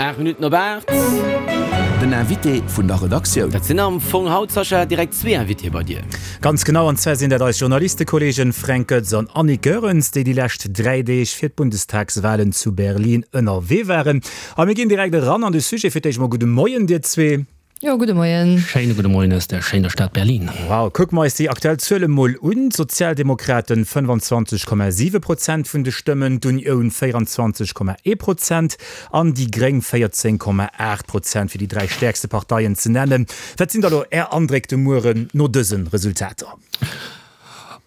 8 Minutten op 8. Den Invité vun der Redaktioun. Dat sinn am Fong haut, Sascha, direkt zwee Invitéë bei dir. Ganz genau, an zwar sinn dat eis Journalistekolleegen Fränk Goetz an Annick Goerens, déi déi lescht 3 Deeg fir d'Bundestagswalen zu Berlin ënnerwee waren. A mir ginn direkt eran an de Sujet. Fir d'éischt mol gudde Moien dir zwee. Jo, gudde Moien. Schéine gudde Moien aus der schéiner Stad Berlin. Wow, kucke mer eis déi aktuell Zuele mol un, D'Sozialdemokraten 25,7 Prozent vun de Stëmmen, d'Unioun 24,1 Prozent an déi Gréng 14,8 Prozent, fir déi 3 stäerkste Parteien ze nennen. Wat sinn da lo Är Andréck de Mueren no dëse Resultater?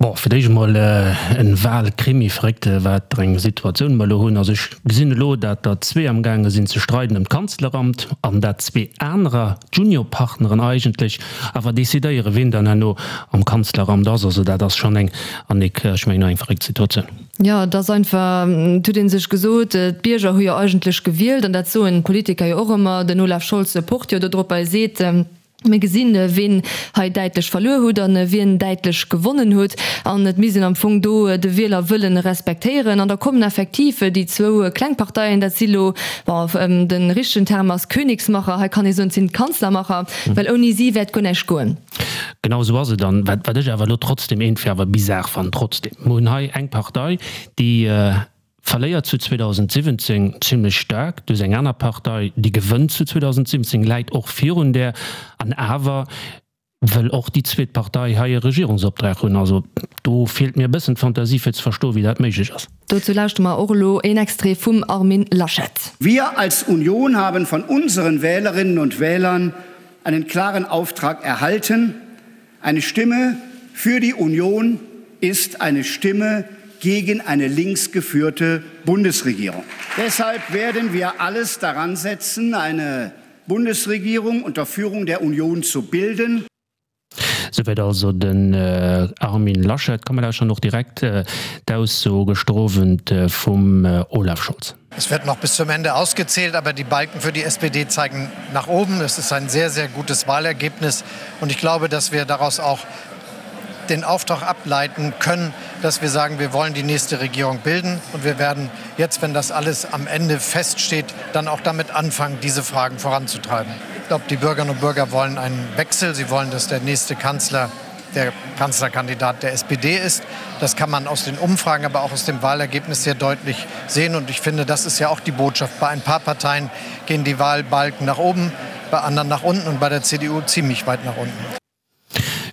Bon, fir d'éischt emol en Wahlkrimi, verréckt wat eng Situatioun mer elo hunn. Also ech gesinn elo, dat der zwee amgaange sinn ze streiden ëm d'Kanzleramt an dat zwee anerer, d'Juniorpartneren eigentlech, awer decidéieren, wien dann herno am Kanzleramt ass. Also dat ass schonn eng, Annick, ech mengen, eng verréckt Situatioun. Jo, et ass einfach, et huet ee sech gesot, d'Bierger hu jo eigentlech gewielt an dat soen d'Politiker jo och ëmmer, den Olaf Scholz pocht jo dodrop, e seet, Mir gesinn, ween hei däitlech verluer hutt a wien däitlech gewonnen hutt. An et misst een am Fong do de Wielerwëllen respektéieren. An da kommen effektiv déi zwou kleng Parteien, dat si lo, bon, de richtegen Term ass Königsmacher, hei kann ee soen, et sinn d'Kanzlermacher, well ouni si wäert guer näischt goen. Genau esou ass et. An wat ech awer elo trotzdem iergendwéi awer bizar fannen, trotzdem, mer hunn hei eng Partei, déi Verléiert zu 2017 zimlech staark duerch eng aner Partei, déi gewënnt zu 2017, läit och virun där, an awer wëll och déi zweet Partei hei e Regierungsoptrag hunn. Also do feelt mir e bëssen d'Fantasie fir ze verstoen, wéi dat méiglech ass. Dozou lauschtere mer och elo een Extrait vum Armin Laschet. Wir als Union haben von unseren Wählerinnen und Wählern einen klaren Auftrag erhalten, Eine Stimme für die Union ist eine Stimme gegen eine linksgeführte Bundesregierung. Deshalb werden wir alles daran setzen, eine Bundesregierung unter Führung der Union zu bilden. Souwäit also den Armin Laschet. Komm mer lauschteren och direkt d'Ausso gëschter Owend vum Olaf Scholz. Es wird noch bis zum Ende ausgezählt, aber die Balken für die SPD zeigen nach oben. Es ist ein sehr, sehr gutes Wahlergebnis und ich glaube, dass wir daraus auch den Auftrag ableiten können, dass wir sagen, wir wollen die nächste Regierung bilden und wir werden jetzt, wenn das alles am Ende feststeht, dann auch damit anfangen, diese Fragen voranzutreiben. Ich glaube, die Bürgerinnen und Bürger wollen einen Wechsel. Sie wollen, dass der nächste Kanzler der Kanzlerkandidat der SPD ist. Das kann man aus den Umfragen, aber auch aus dem Wahlergebnis sehr deutlich sehen. Und ich finde, das ist ja auch die Botschaft. Bei ein paar Parteien gehen die Wahlbalken nach oben, bei anderen nach unten und bei der CDU ziemlich weit nach unten.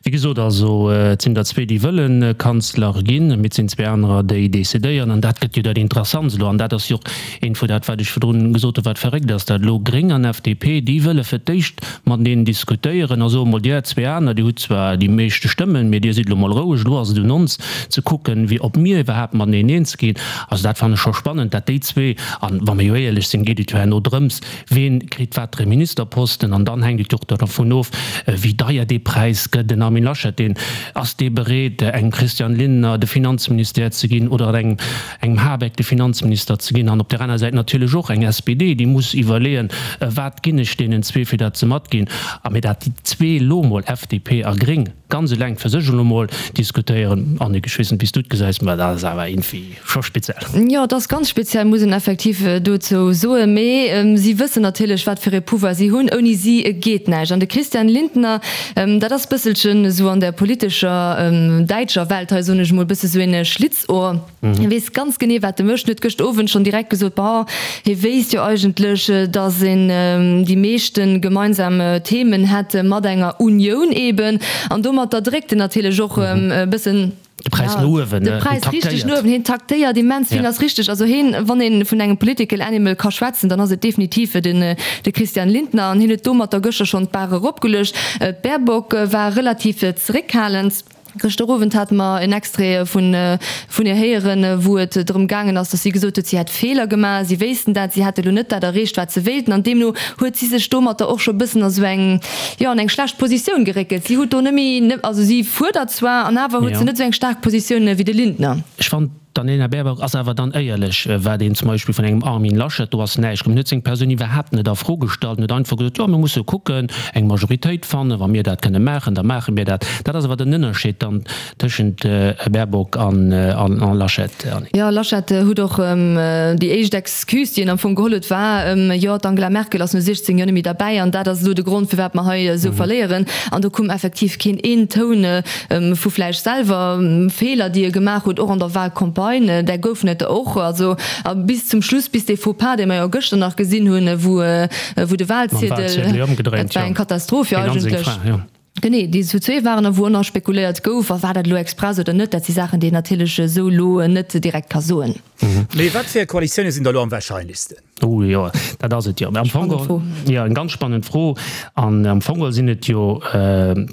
Wéi gesot also, et sinn der zwee, déi wëlle Kanzler ginn, mee et sinn zwee anerer, déi decidéieren. An dat gëtt jo dat Interessantst elo. An dat ass jo och eent vu dat, wat ech virdrun gesot hunn, wat verréckt ass, dat elo Gréng an FDP, déi wëlle fir d'éischt mateneen diskutéieren a soe mol, Dir zwee aner, Dir hutt zwar déi meeschte Stëmmen, mee Dir sidd elo mol roueg, elo ass et un ons ze kucken, wéi ob mir iwwerhaapt mateneen eens ginn. Also dat fannen ech scho spannend, dat déi zwee, an wa mir jo éierlech sinn, geet et jo herno drëms, ween kritt watere Ministerposten, an dann hänkt et jo och dervun of, wéi deier dee Präis gëtt. Den Armin Laschet, deen, ass dee bereet, engem Christian Lindner de Finanzministère ze ginn oder engem engem Habeck de Finanzminister ze ginn, an op där aner Säit natierlech och eng SPD, déi muss iwwerleeën, wat ginn ech deenen zwee, fir dat se matginn. A mee dat déi zwee elo emol, FDP a Gréng, ganz eleng fir sech elo emol diskutéieren, Annick, ech weess net, wéi s du et gesäis, mä dat ass awer iergendwéi scho speziell. Jo, et ass ganz speziell, muss een effektiv dozou soen. Mee si wëssen natierlech, wat fir ee Pouvoir si hunn. Ouni si geet näischt. An de Christian Lindner, dat ass bësselchen esou an der politescher däitscher Welt hei, soen ech emol, bësse sou een Schlitz. Or, hie weess ganz genee, wat e mécht. En huet gëscht Owend schonn direkt gesot, Bah, hie wéisst jo eigentlech, datt een déi meeschte gemeinsam Themen hätt mat enger Unioun eben. An domatter dréckt en natierlech och e bëssen de Präis no uewen. De Präis richteg no uewen. Hien taktéiert immens vill, ass richteg. Also hien, wann ee vun engem political animal ka schwätzen, dann ass et definitiv den de Christian Lindner. An hien huet domatter gëschter schonn d'Bar eropgeluecht. D'Baerbock war relativ zeréckhalend. Gëschter Owend hate mer en Extrait vun vun hir héieren, wou et drëm gaangen ass, datt si gesot huet, si hätt Feeler gemaach, si wéissten dat, si hätte lo net dat erreecht, wat se wéilten. An deemno huet si sech domatter och scho bëssen a sou eng, jo, an eng schlecht Positioun geréckelt. Si huet do net méi, also si fuerdert zwar, an awer huet se net sou eng staark Positioun wéi de Lindner. Ech fannen. D'Annalena Baerbock ass awer dann éierlech, wat een zum Beispill vun engem Armin Laschet, do ass näischt komm, en huet seng Persoun iwwerhaapt net a Fro gestallt, en huet einfach gesot, jo mir musse kucken, eng Majoritéit fannen, wa mir dat kënne maachen, da maache mir dat. Dat ass awer den Ënnerscheed dann tëschent Baerbock an Laschet, Annick. Jo, Laschet huet och déi éischt Excuse, déi en am Fong geholl huet, war, jo d'Angela Merkel ass no 16 Joer net méi derbäi an dat ass elo de Grond, firwat mer hei esou verléieren. An do koum effektiv keen een Toun vu vläicht selwer Feeler, déi e gemaach huet, och an der Wahlcampagne, där goufen et der och. Also a bis zum Schluss, bis dee Faux-pas, dee mer jo gëschter nach gesinn hunn, wou wou de Wahlziedel, dat war eng Katastroph jo eigentlech. Genee, déi zu zwee waren a wou och nach spekuléiert gouf, a war dat elo express oder net, dat si Saachen, déi een natierlech esou elo net direkt ka soen. Mee wat fir Koalitioune sinn da elo am warscheinlechsten? Oh jo, dat ass et jo. Am Fong geholl, jo, eng ganz spannend Fro. An am Fong geholl sinn et jo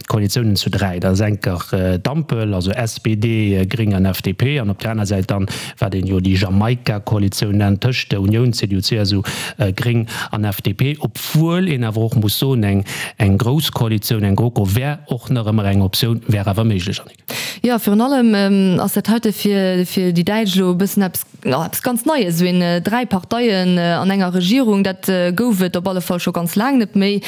Koalitiounen zu dräi. Dat ass enker d'Ampel, also SPD, Gréng an FDP, an op där aner Säit dann, wat een jo déi Jamaika-Koalitioun nennt, tëscht der Unioun, CDU, CSU, Gréng an FDP. Obwuel een awer och muss soen, eng eng grouss Koalitioun, eng GroKo wär och nach ëmmer eng Optioun, wär awer méiglech, Annick. Jo, virun allem ass dat heite fir fir déi Däitsch elo e bëssen eppes, jo, eppes ganz Neies, esou een dräi Parteien an enger Regierung, dat gouf et op alle Fall scho ganz laang net méi.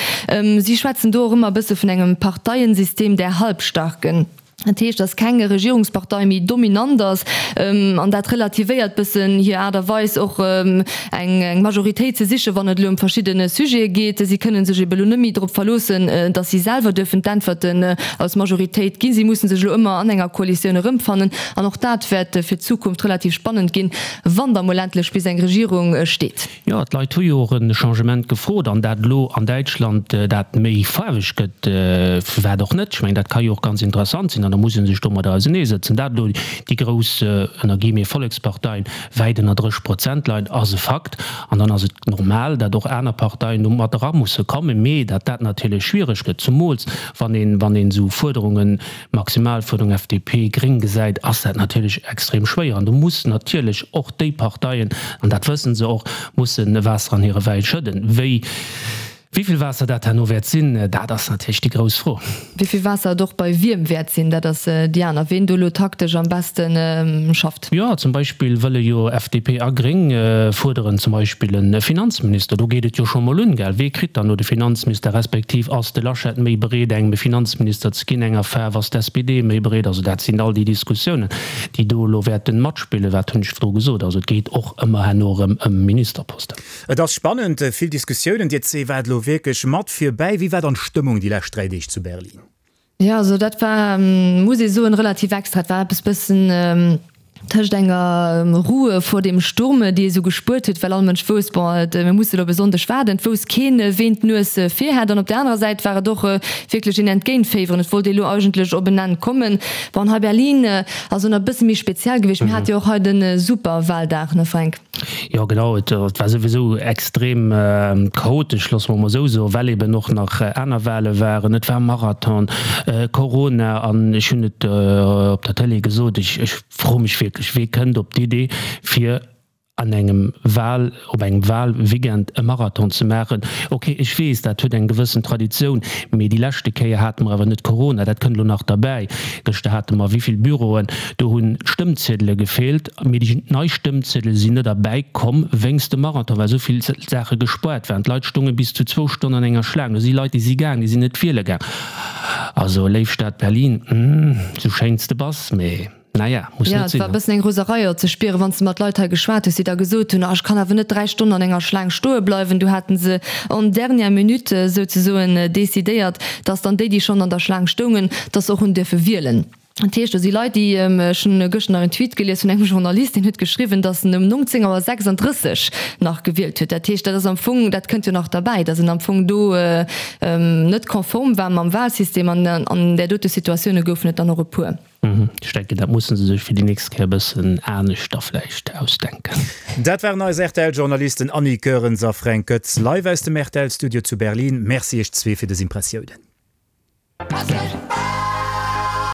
Si schwätzen do och ëmmer e bësse vun engem Parteiensystem der Halbstarken. Dat heescht, datt keng Regierungspartei méi dominant ass, an dat relativéiert bëssen hir Aart a Weis och eng Majoritéit ze sichen, wann et elo ëm verschidde Sujete geet. Si kënne sech ebe lo net méi drop verloossen, datt si selwer duerfen d'Äntwerten als Majoritéit ginn. Si musse sech elo ëmmer an enger Koalitioun erëmfannen. An och dat wäert fir d'Zukunft relativ spannend ginn, wann da mol endlech bis eng Regierung steet. Jo, d'Leit hu jo och e Changement gefrot, an dat elo an Däitschland dat méi faarweg gëtt, firwat och net? Ech mengen, dat ka jo och ganz interessant sinn, an da muss ee sech domadder auseneesëtzen. Dat elo déi grouss, ënner guillemets, Volleksparteien wäit ënner 30 Prozent leien, ass e Fakt. An dann ass et normal, dat och aner Parteien do mat era musse kommen, mee dat dat natierlech schwiereg gëtt, zumools wann een, wann een esou Fuerderungen, Maximalfuerderung FDP, Gréng gesäit, ass dat natierlech extrem schwéier. An do muss natierlech och déi Parteien, an dat wësse se och, musse Waasser an hire Wäin schëdden. Wéi, wéi vill Waasser dat herno wäert sinn, dat ass natierlech déi grouss Fro. Wéi vill Waasser et och bei wiem wäert sinn, dat ass déi aner. Ween do elo taktesch am beschte schafft. Jo, zum Beispill wëlle jo FDP a Gréng fuerderen zum Beispill e Finanzminister. Do geet et jo scho mol un, gell? Wee kritt dann elo de Finanzminister, respektiv ass de Laschet méi bereet engem e Finanzminister ze ginn, enger Faarf, ass d'SPD méi bereet? Also dat sinn all déi Diskussiounen, déi do elo wäerten matspillen. Wat hunn ech virdru gesot? Also et geet och ëmmer herno erëm ëm Ministerposten. Et ass spannend, vill Diskussiounen. Dir zwee waart elo wierklech mat virbäi. Wéi war dann d'Stëmmung déi lescht 3 Deeg zu Berlin? Jo, also dat war, muss ee soen, relativ extra. Et war eppes bëssen tëscht enger Ruhe vor dem Sturm, déi ee sou gespuert huet, well all Mënsch wousst, bon, et, mir musse elo op e Sonndeg waarden. Et wousst keen, ween d'Nues vir hat. An op där anerer Säit war et och wierklech een Entgéintféiweren. Et wollt ee lo eigentlech op en Enn kommen. Bon, hei Berlin ass och nach e bësse méi speziell gewiescht. Mir hate jo och hei de Superwahldag, ne Fränk? Jo genau, et war souwisou extrem chaotesch, loosse mer mol esou soen, well eben och nach aner Wahle waren. Et war Marathon, Corona an ech hunn et op der Tëlee gesot, ech froe mech wierklech, wee kënnt op d'Idee fir an engem Wahl, op engem Wahlweekend e Marathon ze maachen? Ok, ech weess, dat huet eng gewëssen Traditioun, mee déi leschte Kéier hate mer awer net Corona, dat kënnt elo nach derbäi. Gëschter hate mer wéi vill Büroen, do hunn d'Stëmmziedele gefeelt. Mee déi nei Stëmmziedele sinn net erbäi komm wéinst dem Marathon, well esou vill Saache gespuart waren. D'Leit stounge bis zu zwou Stonnen an enger Schlaang. Do si Leit, déi si gaang, déi sinn net wiele gaang. Also, léif Stad Berlin, sou schéin s de bass, mee naja, muss net sinn. Jo, et war e bëssen eng Roserei och ze spieren, wann s de mat Leit hei geschwat hues, déi da gesot hunn, ah ech kann awer net 3 Stonnen an enger Schlaang stoe bleiwen. Du haten se en dernière minute souzesoen decidéiert, dass dann déi, déi schonn an der Schlaang stoungen, dass se och hunn dierfe wielen. Dat heescht, do si Leit, déi, ech hunn gëschter nach en Tweet gelies vun engem Journalist, deen huet geschriwwen, datt en um 19 Auer 36 nach gewielt huet. Dat heescht, dat ass am Fong, dat kënnt jo nach derbäi, datt en am Fong do net konform war mam Wahlsystem. An an där dote Situatioune goufen et dann och e puer. Ech denken, dat musse se sech fir déi nächst Kéier e bëssen anescht da vläicht ausdenken. Dat waren eis RTL-Journalisten Annie Goerens a Fränk Goetz live aus dem RTL-Studio zu Berlin. Merci iech zwee fir dës Impressiounen.